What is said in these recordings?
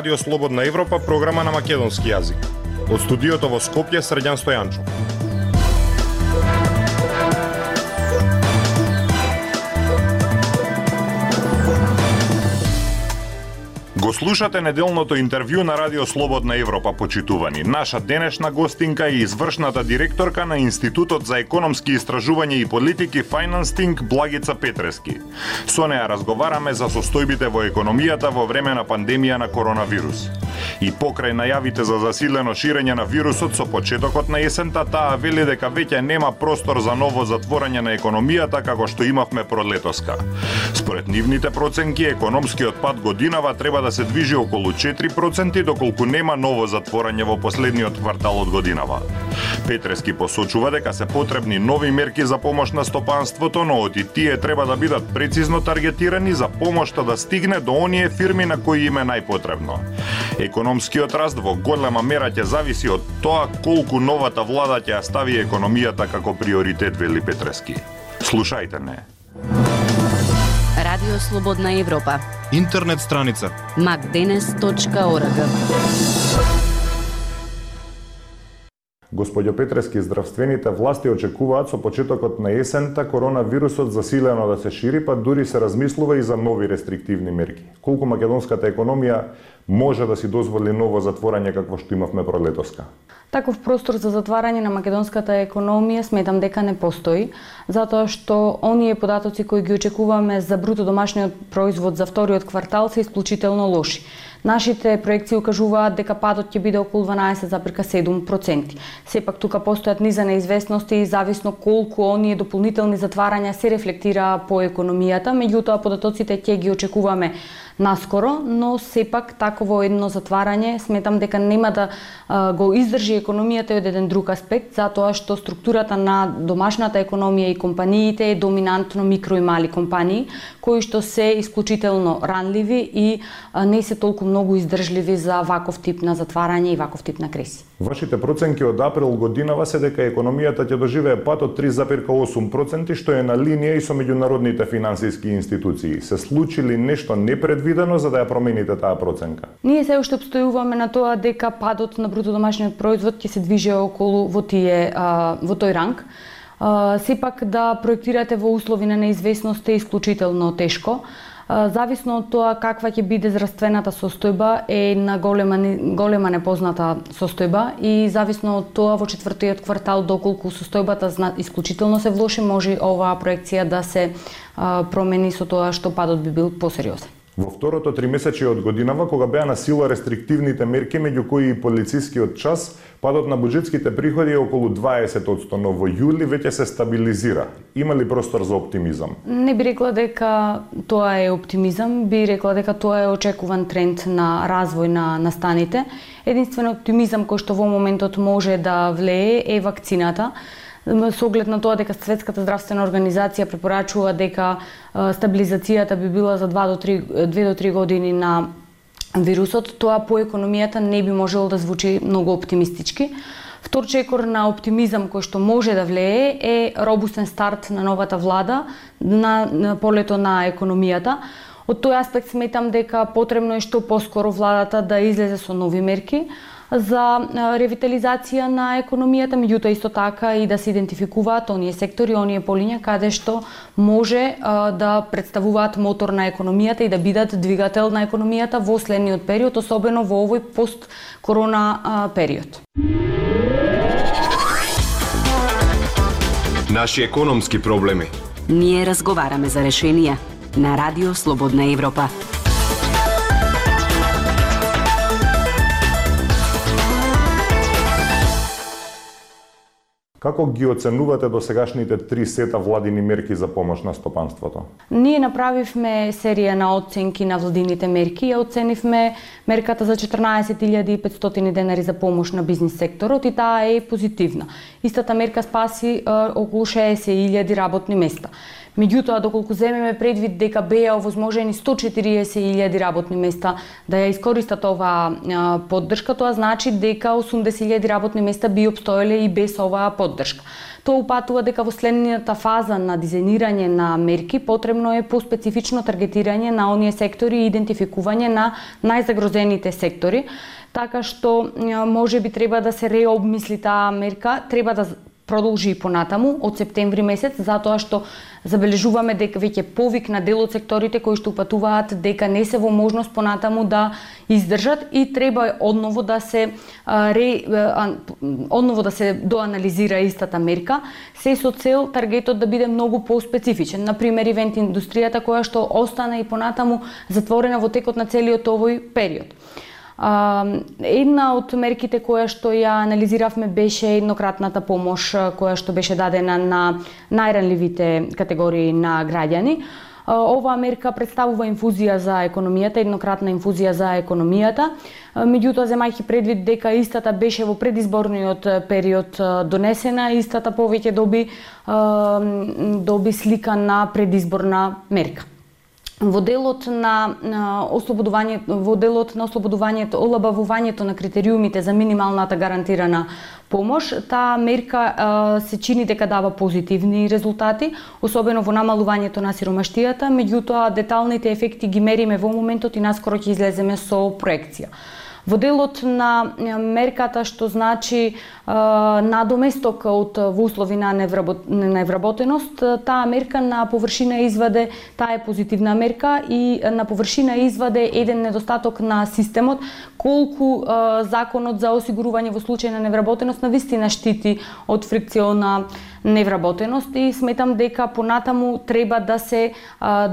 Радио Слободна Европа, програма на македонски јазик. Од студиото во Скопје, Срđan Стојанчов. Го слушате неделното интервју на Радио Слободна Европа, почитувани. Наша денешна гостинка е извршната директорка на Институтот за економски истражувања и политики Financing Благица Петрески. Со неа разговараме за состојбите во економијата во време на пандемија на коронавирус. И покрај најавите за засилено ширење на вирусот со почетокот на есента, таа вели дека веќе нема простор за ново затворање на економијата како што имавме пролетоска. Според нивните проценки, економскиот пат годинава треба да се движи околу 4%, доколку нема ново затворање во последниот квартал од годинава. Петрески посочува дека се потребни нови мерки за помош на стопанството, но оти тие треба да бидат прецизно таргетирани за помошта да стигне до оние фирми на кои им е најпотребно. Економскиот раст во голема мера ќе зависи од тоа колку новата влада ќе ја стави економијата како приоритет, вели Петрески. Слушајте не. Радио Слободна Европа. Интернет страница macdenes.org. Господјо Петрески, здравствените власти очекуваат со почетокот на есента коронавирусот засилено да се шири, па дури се размислува и за нови рестриктивни мерки. Колку македонската економија може да си дозволи ново затворање какво што имавме пролетоска? Таков простор за затварање на македонската економија сметам дека не постои, затоа што оние податоци кои ги очекуваме за бруто домашниот производ за вториот квартал се исклучително лоши. Нашите проекции укажуваат дека падот ќе биде околу 12,7%. Сепак тука постојат низа неизвестности и зависно колку оние дополнителни затварања се рефлектира по економијата, меѓутоа податоците ќе ги очекуваме наскоро, но сепак таково едно затварање сметам дека нема да го издржи економијата од еден друг аспект, затоа што структурата на домашната економија и компаниите е доминантно микро и мали компании, кои што се исклучително ранливи и не се толку многу издржливи за ваков тип на затварање и ваков тип на кризи. Вашите проценки од април годинава се дека економијата ќе доживее пат од 3,8%, што е на линија и со меѓународните финансиски институции. Се случи ли нешто непредвидено за да ја промените таа проценка? Ние се уште обстојуваме на тоа дека падот на бруто домашниот производ ќе се движи околу во тој ранг. Сепак да проектирате во услови на неизвестност е исклучително тешко. Зависно од тоа каква ќе биде здравствената состојба е на голема непозната состојба и зависно од тоа во четвртиот квартал доколку состојбата исклучително се влоши, може оваа проекција да се промени со тоа што падот би бил посериозен. Во второто тримесечие од годинава, кога беа на сила рестриктивните мерки, меѓу кои и полицискиот час, падот на буџетските приходи е околу 20%, но во јули веќе се стабилизира. Има ли простор за оптимизам? Не би рекла дека тоа е оптимизам, би рекла дека тоа е очекуван тренд на развој на настаните. Единствен оптимизам кој што во моментот може да влее е вакцината. Со оглед на тоа дека Светската здравствена организација препорачува дека стабилизацијата би била за 2 до 3 години на вирусот, тоа по економијата не би можело да звучи многу оптимистички. Втор чекор на оптимизам кој што може да влее е робустен старт на новата влада на полето на економијата. Од тој аспект сметам дека потребно е што поскоро владата да излезе со нови мерки за ревитализација на економијата, меѓутоа исто така и да се идентификуваат оние сектори, оние полиња каде што може да представуваат мотор на економијата и да бидат двигател на економијата во следниот период, особено во овој пост-корона период. Наши економски проблеми. Ние разговараме за решенија на Радио Слободна Европа. Како ги оценувате досегашните 3 сета владини мерки за помош на стопанството? Ние направивме серија на оценки на владините мерки. Ја оценивме мерката за 14.500 денари за помош на бизнис секторот и таа е позитивна. Истата мерка спаси околу 60.000 работни места. Меѓутоа, доколку земеме предвид дека беа овозможени 140.000 работни места да ја искористат оваа поддршка, тоа значи дека 80.000 работни места би опстоеле и без оваа поддршка. Тоа упатува дека во следната фаза на дизајнирање на мерки потребно е поспецифично таргетирање на оние сектори и идентификување на најзагрозените сектори, така што може би треба да се реобмисли таа мерка, треба да продолжи и понатаму од септември месец, затоа што забележуваме дека веќе повик на дел од секторите кои што упатуваат дека не се во можност понатаму да издржат и треба одново да се доанализира истата мерка, се со цел таргетот да биде многу поспецифичен. Например, ивент индустријата која што остана и понатаму затворена во текот на целиот овој период. Една од мерките која што ја анализиравме беше еднократната помош која што беше дадена на најранливите категории на граѓани. Оваа мерка представува инфузија за економијата, еднократна инфузија за економијата. Меѓутоа, земајќи предвид дека истата беше во предизборниот период донесена, истата повеќе доби слика на предизборна мерка. Во делот на ослободувањето, олабавувањето на критериумите за минималната гарантирана помош, таа мерка се чини дека дава позитивни резултати, особено во намалувањето на сиромаштијата, меѓутоа деталните ефекти ги мериме во моментот и наскоро ќе излеземе со проекција. Во делот на мерката што значи надоместок во услови на невработеност, таа мерка на површина изваде, таа е позитивна мерка и на површина изваде еден недостаток на системот, колку законот за осигурување во случај на невработеност навистина штити од фрикциона невработеност и сметам дека понатаму треба да се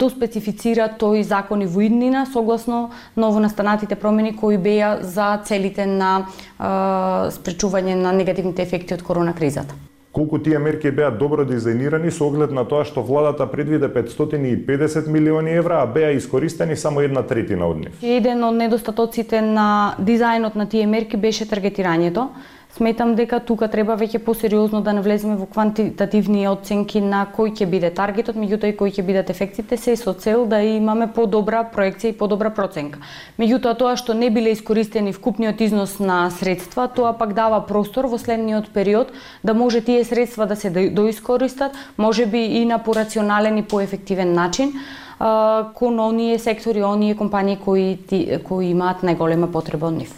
доспецифицира тој закон и во иднина согласно новонастанатите промени кои беа за целите на спречување на негативните ефекти од корона кризата. Колку тие мерки беа добро дизајнирани со оглед на тоа што владата предвиде 550 милиони евра, а беа искористени само 1/3 од нив? Еден од недостатоците на дизајнот на тие мерки беше таргетирањето. Сметам дека тука треба веќе посериозно да навлеземе во квантитативни оценки на кој ќе биде таргетот, меѓутоа и кои ќе бидат ефектите, се со цел да имаме подобра проекција и подобра проценка. Меѓутоа тоа што не биле искористени вкупниот износ на средства, тоа пак дава простор во следниот период да може тие средства да се доискористат, можеби и на порационален и поефективен начин кон оние сектори, оние компании кои имаат најголема потреба од нив.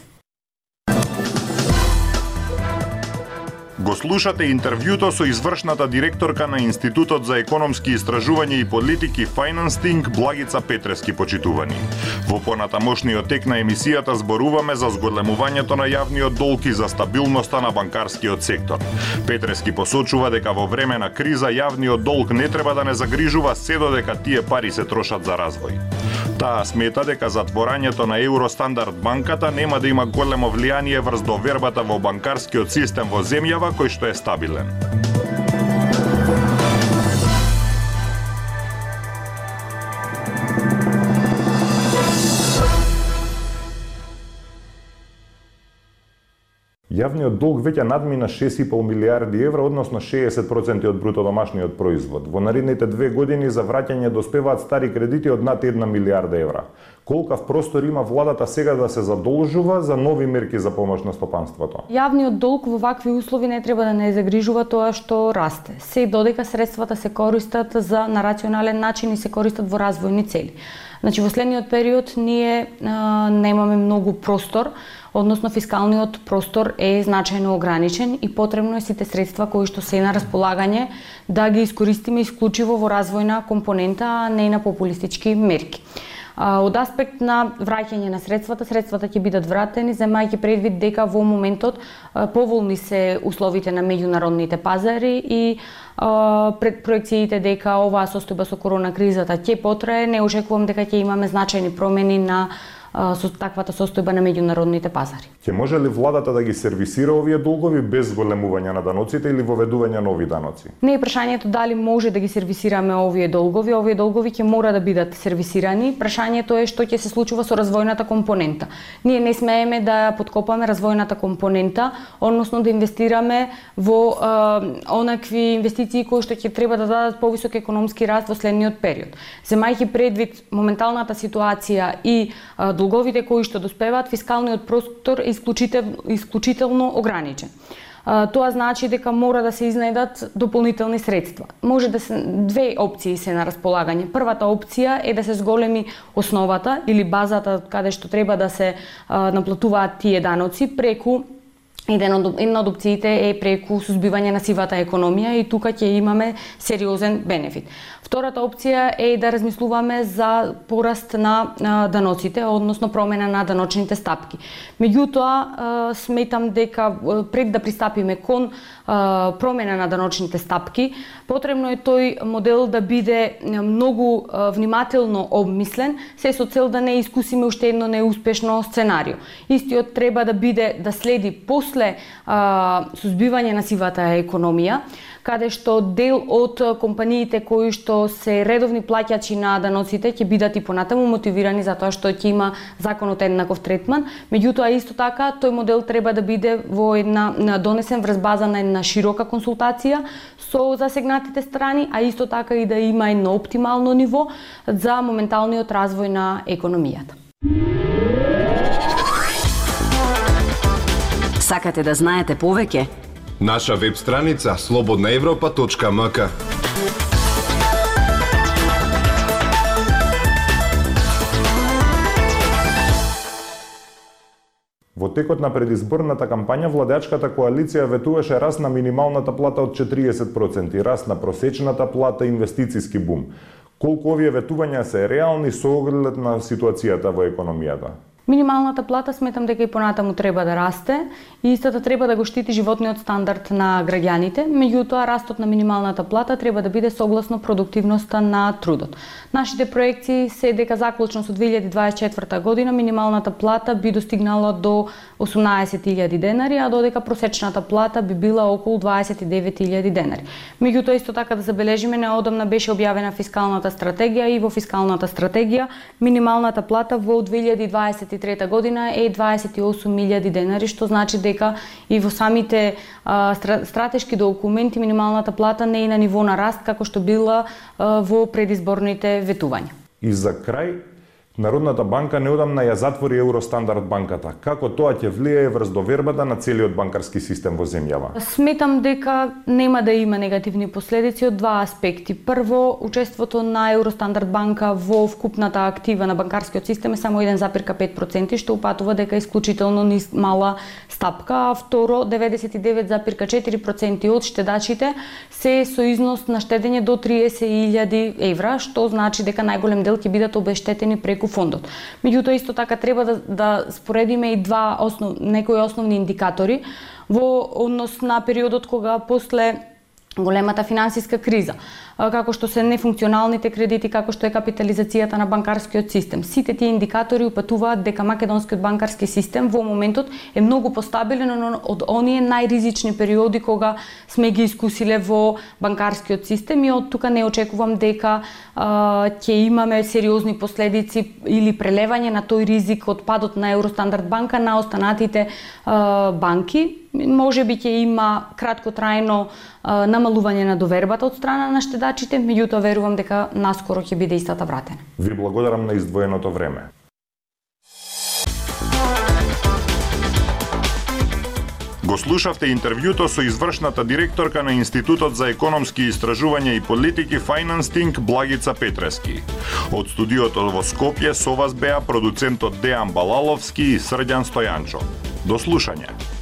Го слушате интервјуто со извршната директорка на Институтот за економски истражувања и политики Financing Благица Петрески, почитувани. Во понатамошниот тек на емисијата зборуваме за зголемувањето на јавниот долг и за стабилноста на банкарскиот сектор. Петрески посочува дека во време на криза јавниот долг не треба да не загрижува се додека тие пари се трошат за развој. Таа смета дека затворањето на Евростандард банката нема да има големо влијание врз довербата во банкарскиот систем во земјава кој што е стабилен. Јавниот долг веќе надмина 6,5 милиарди евра, односно 60% од бруто домашниот производ. Во наредните 2 години за враќање доспеваат стари кредити од над 1 милиарда евра. Колкав простор има владата сега да се задолжува за нови мерки за помош на стопанството? Јавниот долг во вакви услови не треба да не загрижува тоа што расте. Се додека средствата се користат на рационален начин и се користат во развојни цели. Значи, во следниот период ние немаме многу простор, односно фискалниот простор е значајно ограничен и потребно е сите средства кои што се на располагање да ги искористиме исклучиво во развојна компонента, а не на популистички мерки. Од аспект на враќање на средствата ќе бидат вратени, земајќи предвид дека во моментот поволни се условите на меѓународните пазари и пред проекциите дека оваа состојба со корона кризата ќе потрае, не очекувам дека ќе имаме значајни промени на со таквата состојба на меѓународните пазари. Ќе може ли владата да ги сервисира овие долгови без големување на даноците или воведување нови даноци? Не е прашањето дали може да ги сервисираме овие долгови. Овие долгови ќе мора да бидат сервисирани. Прашањето е што ќе се случува со развојната компонента. Ние не смееме да подкопаме развојната компонента, односно да инвестираме во онакви инвестиции кои што ќе треба да дадат повисок економски раст во следниот период. Земајќи предвид моменталната ситуација и долговите кои што доспеваат, фискалниот простор е исклучително ограничен. Тоа значи дека мора да се изнајдат дополнителни средства. Може да се две опции се на располагање. Првата опција е да се зголеми основата или базата каде што треба да се наплатуваат тие даноци преку една од опциите е преку сузбивање на сивата економија и тука ќе имаме сериозен бенефит. Втората опција е да размислуваме за пораст на даноците, односно промена на даночните стапки. Меѓутоа, сметам дека пред да пристапиме кон промена на даночните стапки, потребно е тој модел да биде многу внимателно обмислен, се со цел да не искусиме уште едно неуспешно сценарио. Истиот треба да биде да следи после сузбивање на сивата економија, каде што дел од компаниите кои што се редовни плаќачи на даноците ќе бидат и понатаму мотивирани затоа што ќе има законот еднаков третман, меѓутоа исто така тој модел треба да биде во донесен врз база на една широка консултација со засегнатите страни, а исто така и да има едно оптимално ниво за моменталниот развој на економијата. Сакате да знаете повеќе? Наша веб страница slobodnaevropa.mk. Во текот на предизборната кампања владеачката коалиција ветуваше раст на минималната плата од 40%, раст на просечната плата и инвестициски бум. Колку овие ветувања се реални со оглед на ситуацијата во економијата? Минималната плата сметам дека и понатаму треба да расте и истата треба да го штити животниот стандард на граѓаните, меѓутоа растот на минималната плата треба да биде согласно продуктивноста на трудот. Нашите проекции се дека заклучно со 2024 година минималната плата би достигнала до 18.000 денари, а додека просечната плата би била околу 29.000 денари. Меѓутоа исто така да забележиме, неодамна беше објавена фискалната стратегија и во фискалната стратегија минималната плата во 2023 година е 28.000 денари, што значи дека и во самите стратешки документи минималната плата не е на ниво на раст како што била во предизборните ветувања. И за крај, Народната банка неодамна ја затвори Евростандард банката. Како тоа ќе влијае врз довербата на целиот банкарски систем во земјава? Сметам дека нема да има негативни последици од два аспекти. Прво, учеството на Евростандард банка во вкупната актива на банкарскиот систем е само 1,5%, што упатува дека е исклучително мала стапка, а второ, 99,4% од штедачите се со износ на штедење до 30.000 евра, што значи дека најголем дел ќе бидат обештетени преку фондот. Меѓутоа исто така треба да споредиме и некои основни индикатори во однос на периодот кога после големата финансиска криза, како што се нефункционалните кредити, како што е капитализацијата на банкарскиот систем. Сите тие индикатори упатуваат дека македонскиот банкарски систем во моментот е многу постабилен од оние најризични периоди кога сме ги искусиле во банкарскиот систем и од тука не очекувам дека ќе имаме сериозни последици или прелевање на тој ризик од падот на Евростандард банка на останатите банки. Може би ќе има краткотрајно намалување на довербата од страна на штедачите, меѓутоа верувам дека наскоро ќе биде истата вратена. Ви благодарам на издвоеното време. Го слушавте интервјуто со извршната директорка на Институтот за економски истражувања и политики Financing Благица Петрески. Од студиото во Скопје со вас беа продуцентот Дејан Балаловски и Срđan Стојанчо. До слушање.